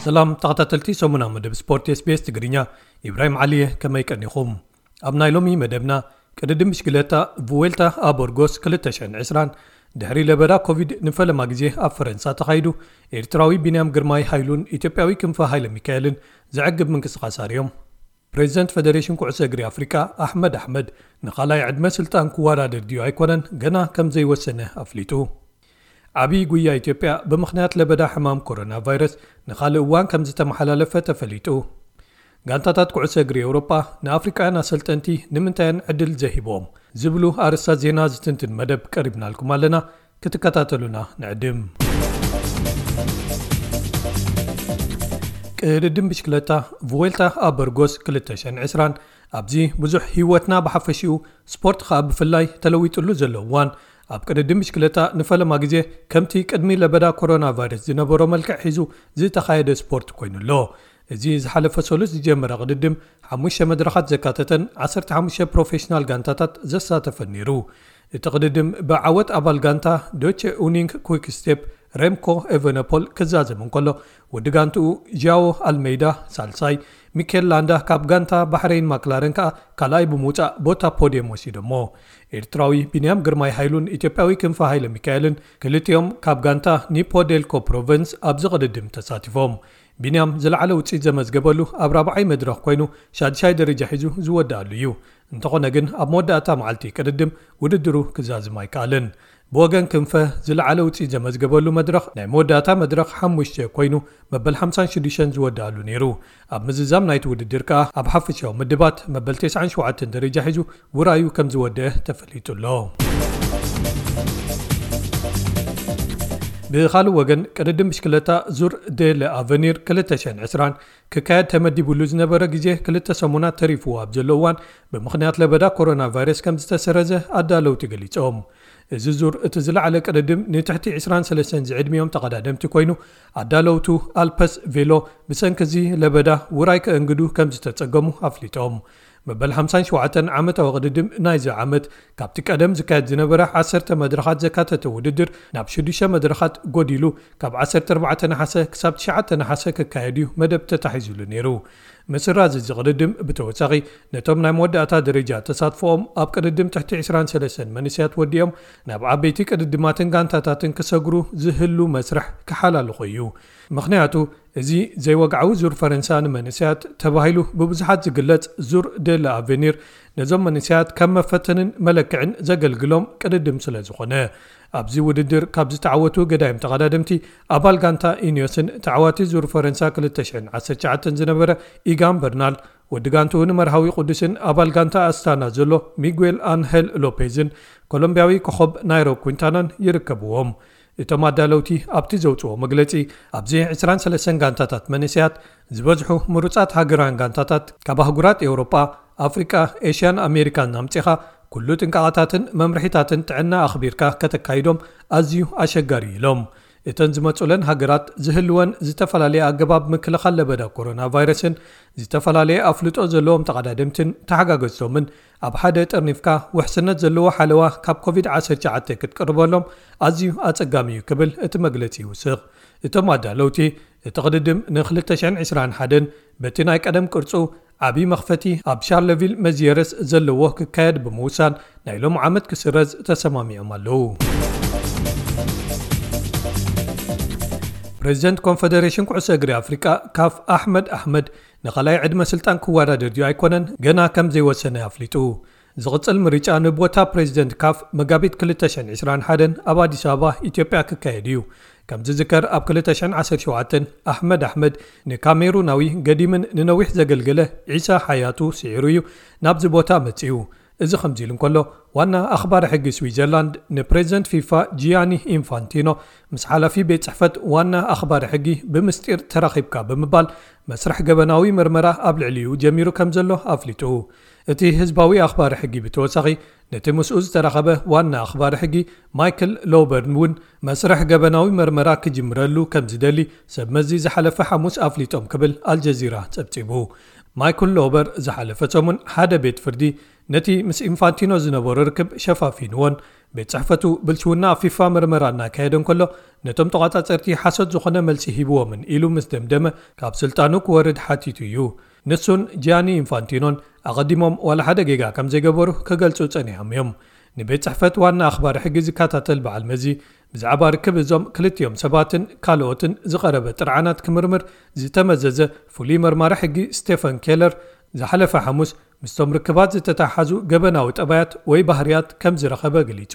ሰላም ተኸታተልቲ ሰሙና መደብ ስፖርት SBS ትግርኛ፣ ኢብራሂም ዓሊየ፣ ከመይ ቀኒኹም? ኣብ ናይ ሎሚ መደብና፣ ቅድድም ብሽክለታ ቭዌልታ ኣበርጎስ ክልተ ሽሕን ዕስራን ድሕሪ ለበዳ ኮቪድ ንፈለማ ግዜ ኣብ ፈረንሳ ተኻይዱ፣ ኤርትራዊ ቢንያም ግርማይ ሃይሉን ኢትዮጵያዊ ክንፈ ሃይለ ሚካኤልን ዘዕግብ ምንቅስቓስ ኣርእዮም። ፕሬዚደንት ፈደሬሽን ኩዕሶ እግሪ ኣፍሪቃ ኣሕመድ ኣሕመድ ንኻልኣይ ዕድመ ስልጣን ክወዳደር ድዩ ኣይኮነን ገና ከም ዘይወሰነ ኣፍሊጡ። ዓብዪ ጉያ ኢትዮጵያ ብምኽንያት ለበዳ ሕማም ኮሮና ቫይረስ ንኻልእ እዋን ከም ዝተመሓላለፈ ተፈሊጡ። ጋንታታት ኩዕሶ እግሪ ኤውሮጳ ንኣፍሪቃውያን ኣሰልጠንቲ ንምንታይ እየን ዕድል ዘይሂቦም ዝብሉ ኣርእስታት ዜና ዝትንትን መደብ ቀሪብናልኩም ኣለና። ክትከታተሉና ንዕድም። ቅድድም ብሽክለታ ቭዌልታ ኣበርጎስ ክልተ ሽሕን ዕስራን ኣብዚ ብዙሕ ህይወትና ብሓፈሽኡ ስፖርት ኸኣ ብፍላይ ተለዊጥሉ ዘሎ እዋን ኣብ ቅድድም ብሽክለታ ንፈለማ ግዜ ከምቲ ቅድሚ ለበዳ ኮሮና ቫይረስ ዝነበሮ መልክዕ ሒዙ ዝተኻየደ ስፖርት ኮይኑ ኣሎ። እዚ ዝሓለፈ ሰሉስ ዝጀመረ ቅድድም ሓሙሽተ መድረኻት ዘካተተን ዓሰርተ ሓሙሽተ ፕሮፌሽናል ጋንታታት ዘሳተፈን ነይሩ። እቲ ቅድድም ብዓወት ኣባል ጋንታ ዶቼ ኡኒንግ ኩክ ስቴፕ ሬምኮ ኤቨነፖል ክዛዘም እንከሎ፣ ወዲ ጋንትኡ ዣዎ ኣልሜይዳ ሳልሳይ፣ ሚኬል ላንዳ ካብ ጋንታ ባሕረይን ማክላረን ከኣ ካልኣይ ብምውጻእ ቦታ ፖድየም ወሲዶሞ። ኤርትራዊ ቢንያም ግርማይ ሃይሉን ኢትዮጵያዊ ክንፈ ሃይለ ሚካኤልን ክልቲኦም ካብ ጋንታ ኒፖ ዴልኮ ፕሮቨንስ ኣብዚ ቅድድም ተሳቲፎም። ቢንያም ዝለዓለ ውጽኢት ዘመዝገበሉ ኣብ ራብዓይ መድረኽ ኮይኑ ሻድሻይ ደረጃ ሒዙ ዝወድኣሉ እዩ። እንተኾነ ግን ኣብ መወዳእታ መዓልቲ ቅድድም ውድድሩ ክዛዝም ኣይከኣልን። ብወገን ክንፈ ዝለዓለ ውጽኢት ዘመዝገበሉ መድረኽ ናይ መወዳእታ መድረኽ ሓሙሽተ ኮይኑ መበል ሓምሳን ሽዱሽተን ዝወድኣሉ ነይሩ። ኣብ ምዝዛም ናይቲ ውድድር ከኣ ኣብ ሓፈሻዊ ምድባት መበል ተስዓን ሸውዓተን ደረጃ ሒዙ ውራዩ ከም ዝወደአ ተፈሊጡ ኣሎ። ብኻልእ ወገን ቅድድም ብሽክለታ ዙር ዴ ለኣቨኒር ክልተ ሽሕን ዕስራን ክካየድ ተመዲቡሉ ዝነበረ ግዜ ክልተ ሰሙናት ተሪፍዎ ኣብ ዘሎ እዋን ብምኽንያት ለበዳ ኮሮና ቫይረስ ከም ዝተሰረዘ ኣዳለውቲ ገሊጾም። እዚ ዙር እቲ ዝለዓለ ቅድድም ንትሕቲ ዕስራን ሰለስተን ዝዕድሚኦም ተቐዳደምቲ ኮይኑ ኣዳለውቱ ኣልፐስ ቬሎ ብሰንኪ እዚ ለበዳ ውራይ ከእንግዱ ከም ዝተጸገሙ ኣፍሊጦም። መበል ሓምሳን ሸውዓተን ዓመታዊ ቅድድም ናይዚ ዓመት ካብቲ ቀደም ዝካየድ ዝነበረ ዓሰርተ መድረኻት ዘካተተ ውድድር ናብ ሽዱሽተ መድረኻት ጎዲሉ ካብ ዓሰርተ ኣርባዕተ ነሓሰ ክሳብ ትሽዓተ ነሓሰ ክካየድ እዩ መደብ ተታሒዙሉ ነይሩ። ምስራዝ እዚ ቅድድም ብተወሳኺ ነቶም ናይ መወዳእታ ደረጃ ተሳትፎኦም ኣብ ቅድድም ትሕቲ ዕስራን ሰለስተን መንእሰያት ወዲኦም ናብ ዓበይቲ ቅድድማትን ጋንታታትን ክሰግሩ ዝህሉ መስርሕ ክሓላልኾ እዩ። ምኽንያቱ እዚ ዘይወግዓዊ ዙር ፈረንሳ ንመንእሰያት ተባሂሉ ብብዙሓት ዝግለጽ ዙር ዴ ለኣቨኒር ነዞም መንእሰያት ከም መፈተንን መለክዕን ዘገልግሎም ቅድድም ስለ ዝኾነ፣ ኣብዚ ውድድር ካብ ዝተዓወቱ ገዳይም ተቐዳደምቲ ኣባል ጋንታ ኢኒዮስን ተዓዋቲ ዙር ፈረንሳ ክልተ ሽሕን ዓሰርተ ትሽዓተን ዝነበረ ኢጋን በርናል፣ ወዲ ጋንትኡ ንመርሃዊ ቅዱስን ኣባል ጋንታ ኣስታና ዘሎ ሚጉኤል ኣንሄል ሎፔዝን ኮሎምቢያዊ ኮኸብ ናይሮ ኩንታናን ይርከብዎም። እቶም ኣዳለውቲ ኣብቲ ዘውፅዎ መግለፂ፣ ኣብዚ ዕስራን ሰለስተን ጋንታታት መንእሰያት ዝበዝሑ ምሩፃት ሃገራውያን ጋንታታት ካብ ኣህጉራት ኤውሮጳ፣ ኣፍሪቃ፣ ኤሽያን ኣሜሪካን ኣምፂኻ ኩሉ ጥንቃቐታትን መምርሒታትን ጥዕና ኣኽቢርካ ከተካይዶም ኣዝዩ ኣሸጋሪ ኢሎም። እተን ዝመፁለን ሃገራት ዝህልወን ዝተፈላለየ ኣገባብ ምክልኻል ለበዳ ኮሮና ቫይረስን ዝተፈላለየ ኣፍልጦ ዘለዎም ተቐዳደምትን ተሓጋገዝቶምን ኣብ ሓደ ጠርኒፍካ ውሕስነት ዘለዎ ሓለዋ ካብ ኮቪድ ዓሰርተ ትሽዓተ ክትቅርበሎም ኣዝዩ ኣጸጋሚ እዩ ክብል እቲ መግለጺ ይውስኽ። እቶም ኣዳለውቲ እቲ ቅድድም ን ክልተ ሽሕን ዕስራን ሓደን በቲ ናይ ቀደም ቅርጹ ዓቢ መኽፈቲ ኣብ ሻርለቪል መዝየረስ ዘለዎ ክካየድ ብምውሳን ናይ ሎም ዓመት ክስረዝ ተሰማሚዖም ኣለዉ። ፕሬዚደንት ኮንፈደሬሽን ኩዕሶ እግሪ ኣፍሪቃ ካፍ ኣሕመድ ኣሕመድ ንኻልኣይ ዕድመ ስልጣን ክወዳደር ድዩ ኣይኮነን ገና ከም ዘይወሰነ ኣፍሊጡ። ዝቕጽል ምርጫ ንቦታ ፕሬዚደንት ካፍ መጋቢት ክልተ ሽሕን ዕስራን ሓደን ኣብ ኣዲስ ኣበባ ኢትዮጵያ ክካየድ እዩ። ከም ዝዝከር ኣብ ክልተ ሽሕን ዓሰርተ ሸውዓተን ኣሕመድ ኣሕመድ ንካሜሩናዊ ገዲምን ንነዊሕ ዘገልገለ ዒሳ ሓያቱ ስዒሩ እዩ ናብዚ ቦታ መጺኡ። እዚ ከምዚ ኢሉ እንከሎ ዋና ኣኽባሪ ሕጊ ስዊዘርላንድ ንፕሬዚደንት ፊፋ ጂያኒ ኢንፋንቲኖ ምስ ሓላፊ ቤት ጽሕፈት ዋና ኣኽባሪ ሕጊ ብምስጢር ተራኺብካ ብምባል መስርሕ ገበናዊ ምርመራ ኣብ ልዕሊኡ ጀሚሩ ከም ዘሎ ኣፍሊጡ። እቲ ህዝባዊ ኣኽባሪ ሕጊ ብተወሳኺ ነቲ ምስኡ ዝተራኸበ ዋና ኣኽባሪ ሕጊ ማይክል ሎበርን እውን መስርሕ ገበናዊ መርመራ ክጅምረሉ ከም ዝደሊ ሰብ መዚ ዝሓለፈ ሓሙስ ኣፍሊጦም ክብል ኣልጀዚራ ጸብጺቡ። ማይክል ሎበር ዝሓለፈ ሰሙን ሓደ ቤት ፍርዲ ነቲ ምስ ኢንፋንቲኖ ዝነበሮ ርክብ ሸፋፊንዎን ቤት ጽሕፈቱ ብልሽውና ኣብ ፊፋ መርመራ እናካየደ እንከሎ፣ ነቶም ተቋጻጸርቲ ሓሶት ዝኾነ መልሲ ሂብዎምን ኢሉ ምስ ደምደመ፣ ካብ ስልጣኑ ክወርድ ሓቲቱ እዩ። ንሱን ጂያኒ ኢንፋንቲኖን ኣቐዲሞም ዋላ ሓደ ጌጋ ከም ዘይገበሩ ክገልጹ ጸኒሖም እዮም። ንቤት ጽሕፈት ዋና ኣኽባሪ ሕጊ ዝከታተል በዓል መዚ፣ ብዛዕባ ርክብ እዞም ክልቲኦም ሰባትን ካልኦትን ዝቐረበ ጥርዓናት ክምርምር ዝተመዘዘ ፍሉይ መርማሪ ሕጊ ስቴፈን ኬለር፣ ዝሓለፈ ሓሙስ ምስቶም ርክባት ዝተተሓሓዙ ገበናዊ ጠባያት ወይ ባህርያት ከም ዝረኸበ ገሊጹ።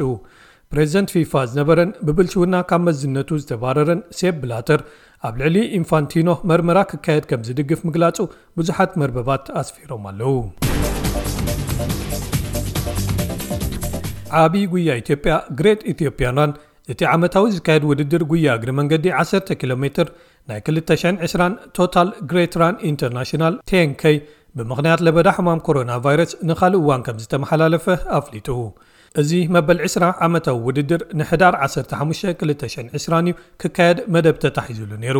ፕሬዚደንት ፊፋ ዝነበረን ብብልሽውና ካብ መዝነቱ ዝተባረረን ሴፕ ብላተር፣ ኣብ ልዕሊ ኢንፋንቲኖ መርመራ ክካየድ ከም ዝድግፍ ምግላጹ ብዙሓት መርበባት ኣስፊሮም ኣለዉ። ዓቢ ጉያ ኢትዮጵያ፣ ግሬት ኢትዮጵያን ራን፣ እቲ ዓመታዊ ዝካየድ ውድድር ጉያ እግሪ መንገዲ ዓሰርተ ኪሎ ሜትር ናይ ክልተ ሽሕን ዕስራን ቶታል ግሬት ራን ኢንተርናሽናል፣ ቴን ኬይ፣ ብምኽንያት ለበዳ ሕማም ኮሮና ቫይረስ ንኻልእ እዋን ከም ዝተመሓላለፈ ኣፍሊጡ። እዚ መበል ዕስራ ዓመታዊ ውድድር ንሕዳር ዓሰርተ ሓሙሽተ ክልተ ሽሕን ዕስራን እዩ ክካየድ መደብ ተታሒዙሉ ነይሩ።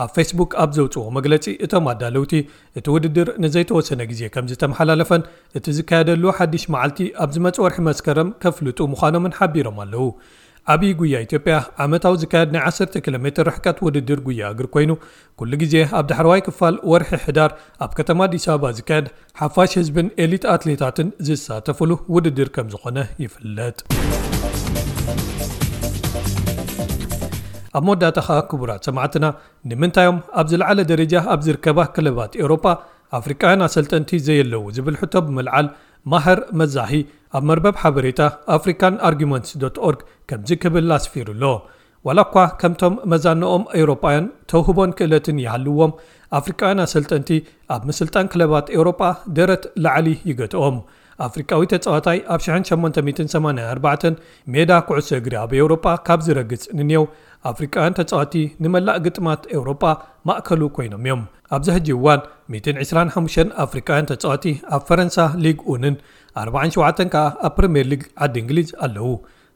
ኣብ ፌስቡክ ኣብ ዘውፅዎ መግለፂ፣ እቶም ኣዳለውቲ እቲ ውድድር ንዘይተወሰነ ግዜ ከም ዝተመሓላለፈን እቲ ዝካየደሉ ሓድሽ መዓልቲ ኣብ ዝመጽእ ወርሒ መስከረም ከፍልጡ ምዃኖምን ሓቢሮም ኣለዉ። ዓብዪ ጉያ ኢትዮጵያ ዓመታዊ ዝካየድ ናይ ዓሰርተ ኪሎ ሜትር ርሕቀት ውድድር ጉያ እግሪ ኮይኑ፣ ኩሉ ግዜ ኣብ ዳሕረዋይ ክፋል ወርሒ ሕዳር ኣብ ከተማ ኣዲስ ኣበባ ዝካየድ፣ ሓፋሽ ህዝብን ኤሊት ኣትሌታትን ዝሳተፍሉ ውድድር ከም ዝኾነ ይፍለጥ። ኣብ መወዳእታ ኸኣ፣ ክቡራት ሰማዕትና፣ ንምንታዮም ኣብ ዝለዓለ ደረጃ ኣብ ዝርከባ ክለባት ኤውሮጳ ኣፍሪቃውያን ኣሰልጠንቲ ዘየለዉ ዝብል ሕቶ ብምልዓል፣ ማህር መዛሂ ኣብ መርበብ ሓበሬታ ኣፍሪካን ኣርጊመንትስ ዶት ኦርግ ከምዚ ክብል ኣስፊሩ ኣሎ። ዋላ እኳ ከምቶም መዛንኦም ኤውሮጳውያን ተውህቦን ክእለትን ይሃልዎም፣ ኣፍሪቃውያን ኣሰልጠንቲ ኣብ ምስልጣን ክለባት ኤውሮጳ ደረት ላዕሊ ይገትኦም። ኣፍሪቃዊ ተጻዋታይ ኣብ ሽሕን ሸሞንተ ሚእትን ሰማንያን ኣርባዕተን ሜዳ ኩዕሶ እግሪ ኣብ ኤውሮጳ ካብ ዝረግጽ ንኔው፣ ኣፍሪቃውያን ተጻዋቲ ንመላእ ግጥማት ኤውሮጳ ማእከሉ ኮይኖም እዮም። ኣብዚ ሕጂ እዋን፣ ሚእትን ዕስራን ሓሙሽተን ኣፍሪቃውያን ተጻዋቲ ኣብ ፈረንሳ ሊግ ኡንን ኣርባዓን ሸውዓተን ከኣ ኣብ ፕሪምየር ሊግ ዓዲ እንግሊዝ ኣለዉ።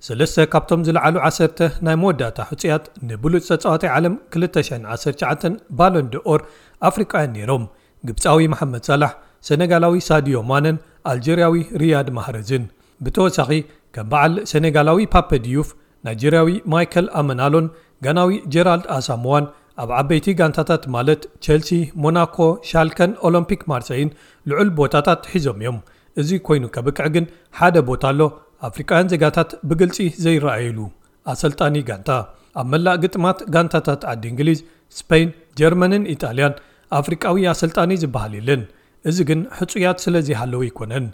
ሰለስተ ካብቶም ዝለዓሉ ዓሰርተ ናይ መወዳእታ ሕጹያት ንብሉጽ ተጻዋታይ ዓለም ክልተ ሽሕን ዓሰርተ ትሽዓተን ባሎን ዶኦር ኣፍሪቃውያን ነይሮም። ግብጻዊ መሓመድ ሳላሕ፣ ሰነጋላዊ ሳዲዮ ማነን ኣልጀርያዊ ሪያድ ማህረዝን። ብተወሳኺ፣ ከም በዓል ሰኔጋላዊ ፓፐ ዲዩፍ፣ ናይጀርያዊ ማይከል ኣመናሎን ጋናዊ ጀራልድ ኣሳሞዋን ኣብ ዓበይቲ ጋንታታት ማለት ቸልሲ፣ ሞናኮ፣ ሻልከን ኦሎምፒክ ማርሰይን ልዑል ቦታታት ሒዞም እዮም። እዚ ኮይኑ ከብቅዕ ግን ሓደ ቦታ ኣሎ፣ ኣፍሪቃውያን ዜጋታት ብግልጺ ዘይረኣይሉ፣ ኣሰልጣኒ ጋንታ። ኣብ መላእ ግጥማት ጋንታታት ዓዲ እንግሊዝ፣ ስፔን፣ ጀርመንን ኢጣልያን ኣፍሪቃዊ ኣሰልጣኒ ዝበሃል የለን። እዚ ግን ሕጹያት ስለ ዘይሃለዉ ኣይኮነን።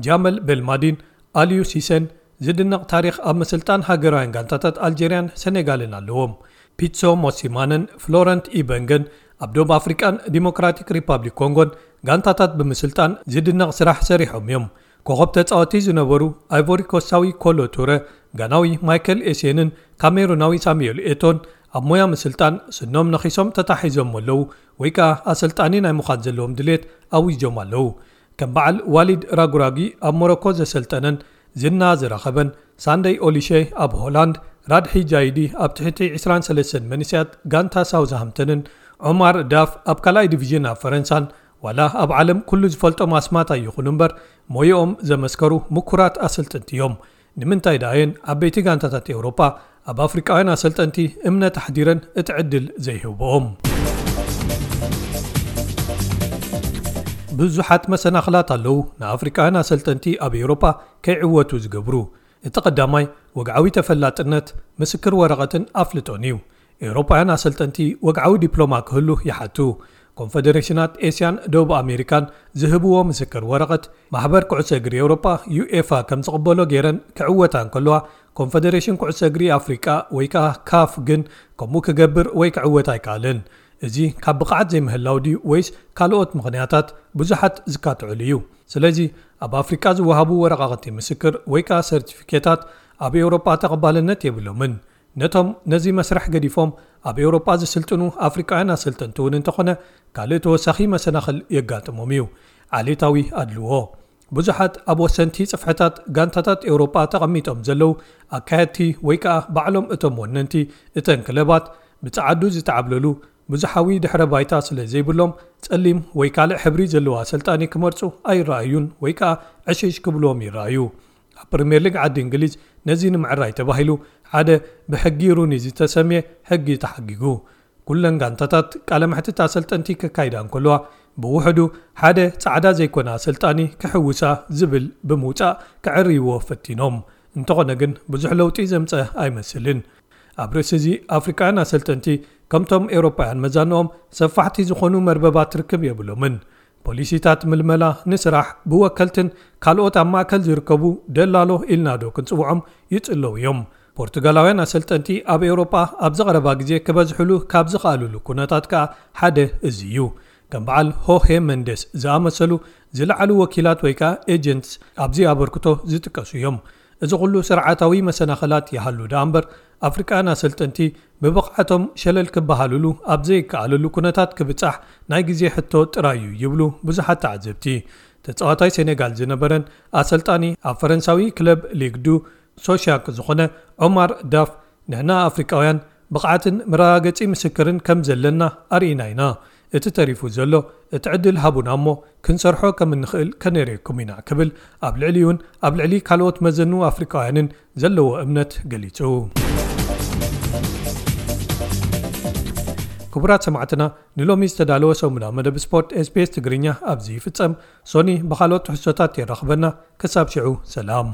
ጃመል ቤልማዲን ኣልዩ ሲሰን ዝድነቕ ታሪኽ ኣብ ምስልጣን ሃገራውያን ጋንታታት ኣልጀርያን ሰኔጋልን ኣለዎም። ፒትሶ ሞሲማንን ፍሎረንት ኢበንገን ኣብ ደቡብ ኣፍሪቃን ዲሞክራቲክ ሪፓብሊክ ኮንጎን ጋንታታት ብምስልጣን ዝድነቕ ስራሕ ሰሪሖም እዮም። ኮኸብ ተጻወቲ ዝነበሩ ኣይቮሪ ኮስታዊ ኮሎ ቱረ፣ ጋናዊ ማይከል ኤሴንን ካሜሩናዊ ሳሙኤል ኤቶን ኣብ ሞያ ምስልጣን ስኖም ነኺሶም ተታሒዞም ኣለዉ፣ ወይ ከኣ ኣሰልጣኒ ናይ ምዃን ዘለዎም ድሌት ኣዊጆም ኣለዉ። ከም በዓል ዋሊድ ራጉራጊ ኣብ ሞሮኮ ዘሰልጠነን ዝና ዝረኸበን ሳንደይ ኦሊሸ ኣብ ሆላንድ፣ ራድሒ ጃይዲ ኣብ ትሕቲ ዕስራን ሰለስተን መንእሰያት ጋንታ ሳውዝሃምፕተንን ዖማር ዳፍ ኣብ ካልኣይ ዲቪዥን ኣብ ፈረንሳን ዋላ ኣብ ዓለም ኩሉ ዝፈልጦም ኣስማት ኣይኹኑ እምበር፣ ሞይኦም ዘመስከሩ ምኩራት ኣሰልጠንቲ እዮም። ንምንታይ ደኣየን ዓበይቲ ጋንታታት ኤውሮጳ ኣብ ኣፍሪቃውያን ኣሰልጠንቲ እምነት ኣሕዲረን እቲ ዕድል ዘይህብኦም? ብዙሓት መሰናኽላት ኣለዉ ንኣፍሪቃውያን ኣሰልጠንቲ ኣብ ኤውሮጳ ከይዕወቱ ዝገብሩ። እቲ ቀዳማይ ወግዓዊ ተፈላጥነት፣ ምስክር ወረቐትን ኣፍልጦን እዩ። ኤውሮጳውያን ኣሰልጠንቲ ወግዓዊ ዲፕሎማ ክህሉ ይሓቱ። ኮንፈደሬሽናት ኤስያን ደቡብ ኣሜሪካን ዝህብዎ ምስክር ወረቐት፣ ማሕበር ኩዕሶ እግሪ ኤውሮጳ፣ ዩኤፋ፣ ከም ዝቕበሎ ገይረን ክዕወታ እንከለዋ፣ ኮንፈደሬሽን ኩዕሶ እግሪ ኣፍሪቃ ወይ ከኣ ካፍ ግን ከምኡ ክገብር ወይ ክዕወት ኣይከኣለን። እዚ ካብ ብቕዓት ዘይምህላው ድዩ ወይስ ካልኦት ምኽንያታት? ብዙሓት ዝካትዑሉ እዩ። ስለዚ ኣብ ኣፍሪቃ ዝወሃቡ ወረቓቕቲ ምስክር ወይ ከኣ ሰርቲፊኬታት ኣብ ኤውሮጳ ተቐባልነት የብሎምን። ነቶም ነዚ መስርሕ ገዲፎም ኣብ ኤውሮጳ ዝስልጥኑ ኣፍሪቃውያን ኣሰልጠንቲ እውን እንተኾነ ካልእ ተወሳኺ መሰናኽል የጋጥሞም እዩ። ዓሌታዊ ኣድልዎ። ብዙሓት ኣብ ወሰንቲ ጽፍሕታት ጋንታታት ኤውሮጳ ተቐሚጦም ዘለዉ ኣካየድቲ ወይ ከኣ ባዕሎም እቶም ወነንቲ እተን ክለባት ብጸዓዱ ዝተዓብለሉ ብዙሓዊ ድሕረ ባይታ ስለ ዘይብሎም ጸሊም ወይ ካልእ ሕብሪ ዘለዎ ኣሰልጣኒ ክመርጹ ኣይረኣዩን ወይ ከኣ ዕሽሽ ክብልዎም ይረኣዩ። ኣብ ፕሪምየር ሊግ ዓዲ እንግሊዝ ነዚ ንምዕራይ ተባሂሉ ሓደ ብሕጊ ሩኒ ዝተሰምየ ሕጊ ተሓጊጉ። ኩለን ጋንታታት ቃለ መሕትት ኣሰልጠንቲ ከካይዳ እንከለዋ፣ ብውሕዱ ሓደ ጻዕዳ ዘይኮነ ኣሰልጣኒ ክሕውሳ ዝብል ብምውጻእ ክዕርይዎ ፈቲኖም። እንተኾነ ግን ብዙሕ ለውጢ ዘምጸ ኣይመስልን። ኣብ ርእሲ እዚ ኣፍሪቃውያን ኣሰልጠንቲ ከምቶም ኤውሮጳውያን መዛንኦም ሰፋሕቲ ዝኾኑ መርበባት ርክብ የብሎምን። ፖሊሲታት ምልመላ ንስራሕ ብወከልትን ካልኦት ኣብ ማእከል ዝርከቡ ደላሎ ኢልናዶ ክንጽውዖም ይጽለው እዮም። ፖርቱጋላውያን ኣሰልጠንቲ ኣብ ኤውሮጳ ኣብ ዝቐረባ ግዜ ክበዝሕሉ ካብ ዝኽኣልሉ ኩነታት ከኣ ሓደ እዚ እዩ። ከም በዓል ሆሄ መንደስ ዝኣመሰሉ ዝለዓሉ ወኪላት ወይ ከኣ ኤጀንትስ ኣብዚ ኣበርክቶ ዝጥቀሱ እዮም። እዚ ኩሉ ስርዓታዊ መሰናኸላት ይሃሉ ደኣ እምበር ኣፍሪቃውያን ኣሰልጠንቲ ብብቕዓቶም ሸለል ክበሃልሉ ኣብ ዘይከኣለሉ ኩነታት ክብጻሕ ናይ ግዜ ሕቶ ጥራይ እዩ ይብሉ ብዙሓት ተዓዘብቲ። ተጻዋታይ ሴኔጋል ዝነበረን ኣሰልጣኒ ኣብ ፈረንሳዊ ክለብ ሊግ ዱ ሶሻክ ዝኾነ ዑማር ዳፍ፣ ንሕና ኣፍሪቃውያን ብቕዓትን መረጋገጺ ምስክርን ከም ዘለና ኣርኢና ኢና። እቲ ተሪፉ ዘሎ እቲ ዕድል ሃቡና እሞ ክንሰርሖ ከም እንኽእል ከነርእየኩም ኢና ክብል ኣብ ልዕሊኡን ኣብ ልዕሊ ካልኦት መዘኑ ኣፍሪቃውያንን ዘለዎ እምነት ገሊጹ። ክቡራት ሰማዕትና፣ ንሎሚ ዝተዳለወ ሰሙና መደብ ስፖርት SBS ትግርኛ ኣብዚ ይፍጸም። ሶኒ ብኻልኦት ትሕዝቶታት የራኽበና። ክሳብ ሽዑ ሰላም።